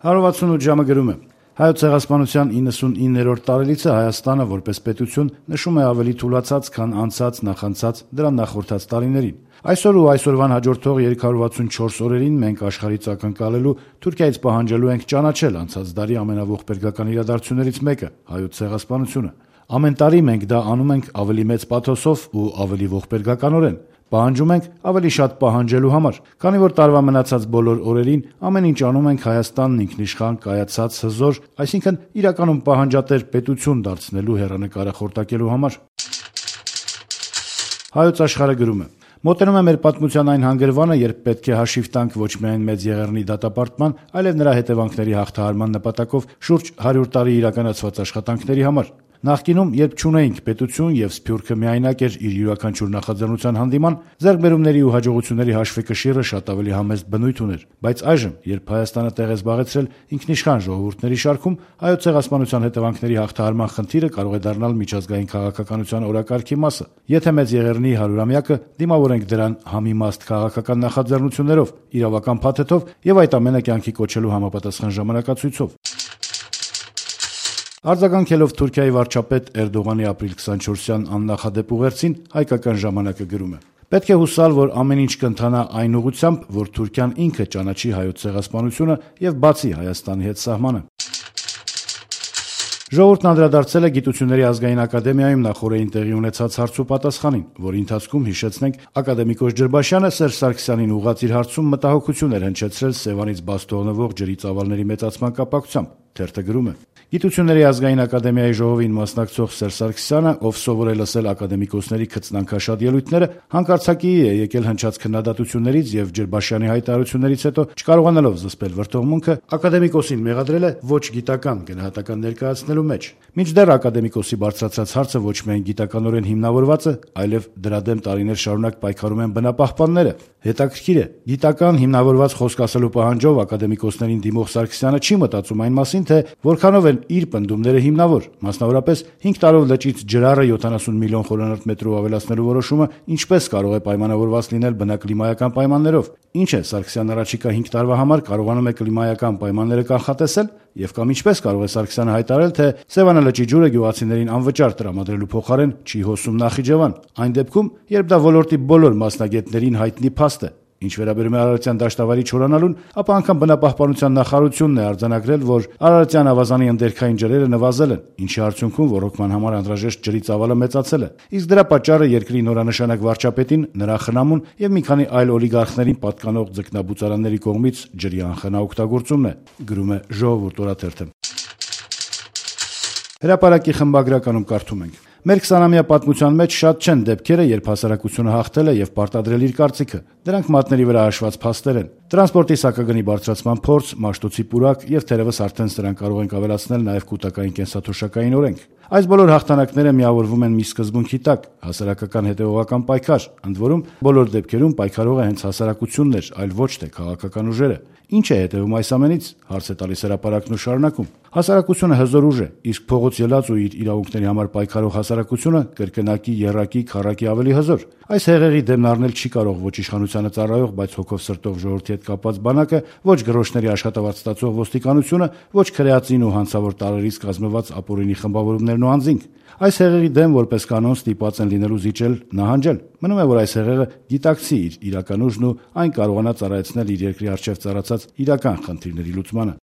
168 ժամը գրում է. Հայոց ցեղասպանության 99-րդ տարելիցը Հայաստանը որպես պետություն նշում է ավելի թուլացած, քան անցած, նախանցած, դրան նախորդած տարիներին։ Այսօր ու այսօրվան հաջորդող 364 օրերին մենք աշխարհից ակնկալելու, Թուրքիայից պահանջելու ենք ճանաչել անցած դարի ամենաողբերգական իրադարձություններից մեկը՝ Հայոց ցեղասպանությունը։ Ամեն տարի մենք դա անում ենք ավելի մեծ պաթոսով ու ավելի ողբերգականորեն։ Պահանջում ենք ավելի շատ պահանջելու համար, քանի որ տարվա մնացած բոլոր օրերին ամեն ինչ անում ենք Հայաստանն ինքնիշխան, կայացած, հզոր, այսինքն իրականում պահանջատեր պետություն դարձնելու հեռանկարը խորտակելու համար։ Հայոց աշխարհը գրում է. Մոտենում է մեր պատմության այն հանգրվանը, երբ պետք է հաշիվ տանք ոչ միայն Մեծ Եղեռնի դատապարտման, այլև նրա հետևանքների հաղթահարման նպատակով շուրջ 100 տարի իրականացված աշխատանքների համար։ Նախկինում, երբ չունեինք պետություն եւ Սփյուռքը միայնակ էր իր յուրաքանչյուր նախաձեռնության հանդիման, ձեռքբերումների ու հաջողությունների հաշվեկշիռը շատ ավելի համեստ բնույթ ուներ, բայց այժմ, երբ Հայաստանը տեղ է զբաղեցրել ինքնիշխան ժողովուրդների շարքում, Հայոց ցեղասպանության հետևանքների հաղթահարման խնդիրը կարող է դառնալ միջազգային քաղաքականության օրակարգի մասը։ Եթե Մեծ Եղեռնի 100-ամյակը, դիմավորենք դրան համիմաստ քաղաքական նախաձեռնություններով, իրավական փաթեթով եւ այդ ամենը կյանքի կոչելու համապատասխան ժամանակացույցով։ Արձագանքելով Թուրքիայի վարչապետ Էրդողանի ապրիլ 24-յան աննախադեպ ուղերձին, հայկական ժամանակը գրում է. Պետք է հուսալ, որ ամեն ինչ կընթանա այն ուղղությամբ, որ Թուրքիան ինքը ճանաչի Հայոց ցեղասպանությունը եւ բացի Հայաստանի հետ սահմանը։ Ժողովուրդն անդրադարձել է Գիտությունների ազգային ակադեմիայում նախօրեին տեղի ունեցած հարցուպատասխանին, որի ընթացքում, հիշեցնենք, ակադեմիկոս Ջրբաշյանը Սերժ Սարգսյանին ուղղած իր հարցում մտահոգություն էր հնչեցրել Սևանից բաց թողնվող ջրի ծավալների մեծացման կապակցությամբ։ Թերթը գրում է. Գիտությունների ազգային ակադեմիայի ժողովին մասնակցող Սերժ Սարգսյանը, ով սովոր է լսել ակադեմիկոսների քծնանքաշատ ելույթները, հանկարծակիի է եկել հնչած քննադատություններից եւ Ջրբաշյանի հայտարարություններից հետո, չկարողանալով զսպել վրդովմունքը, ակադեմիկոսին մեղադրել է ոչ գիտական գնահատական ներկայացնելու մեջ։ Մինչդեռ ակադեմիկոսի բարձրացած հարցը ոչ միայն գիտականորեն հիմնավորված է, այլև դրա դեմ տարիներ շարունակ պայքարում են բնապահպանները։ Հետաքրքիր է, գիտական հիմնավորված խոսք ասելու պահանջով ակադեմիկոսներին դիմող Սարգսյանը չի մտածում այն մասին, թե որքանով են իր պնդումները հիմնավոր, մասնավորապես 5 տարով լճից ջրառը 70 միլիոն խորանարդ մետրով ավելացնելու որոշումը ինչպես կարող է պայմանավորված լինել բնակլիմայական պայմաններով։ Ինչ է Սարգսյանն առաջիկա 5 տարվա համար կարողանում է կլիմայական պայմանները կանխատեսել, եւ կամ ինչպես կարող է Սարգսյանը հայտարարել, թե Սևանա լճի ջուրը գյուղացիներին անվճար տրամադրելու փոխարեն չի հոսում Նախիջևան, այն դեպքում, երբ դա ոլորտի բոլոր մասնագետներին հայտնի փաստ է։ Ինչ վերաբերում է Արարատյան դաշտավարի չորանալուն, ապա անգամ բնապահպանության նախարարությունն է արձանագրել, որ Արարատյան ավազանի ընդերքային ջրերը նվազել են, ինչի արդյունքում ոռոգման համար անհրաժեշտ ջրի ծավալը մեծացել է։ Իսկ դրա պատճառը երկրի նորանշանակ վարչապետին, նրա խնամուն եւ մի քանի այլ օլիգարխներին պատկանող ձկնաբուծարանների կողմից ջրի անխնա օգտագործումն է, գրում է Ժողովուրդ օրաթերթը։ Հրապարակի խմբագրականում կարդում ենք. Մեր 20-ամյա պատմության մեջ շատ չեն դեպքերը, երբ հասարակությունը հաղթել է եւ պարտադրել իր կարծիքը։ Դրանք մատների վրա հաշված փաստեր են։ Տրանսպորտի սակագնի բարձրացման փորձ, մաշտոցի պուրակ եւ թերևս արդեն սրանք կարող ենք ավելացնել նաեւ կൂട്ടակային կենսաթոշակային օրենք։ Այս բոլոր հաղթանակները միավորվում են մի սկզբունքի տակ՝ հասարակական հետևողական պայքար, ընդ որում բոլոր դեպքերում պայքարողը հենց հասարակությունն էր, այլ ոչ թե քաղաքական ուժերը։ Ինչ է հետևում այս ամենից, հարց է տալիս հրապարակն ու շարունակում։ Հասարակությունը հզոր ուժ է, իսկ փողոց ելած ու իր իրավունքների համար պայքարող հասարակությունը կրկնակի, եռակի, քառակի ավելի հզոր։ Այս հեղեղի դեմն առնել չի կարող ոչ իշխանությանը ծառայող, բայց հոգով սրտով ժողովրդի հետ կապված բանակը, ոչ գրոշների աշխատավարձ ստացող ոստիկանությունը, ոչ քրեածին ու հանցավոր տարերից կազմված ապօրինի խմբավորումներն ու անձինք։ Այս հեղեղի դեմ որպես կանոն ստիպված են լինելու զիջել, նահանջել։ Մնում է, որ այս հեղեղը գիտակցի իր իրական ուժն ու այն կարողանա ծառայեցնել իր երկրի առջև ծառացած իրական խնդիրների լուծմանը։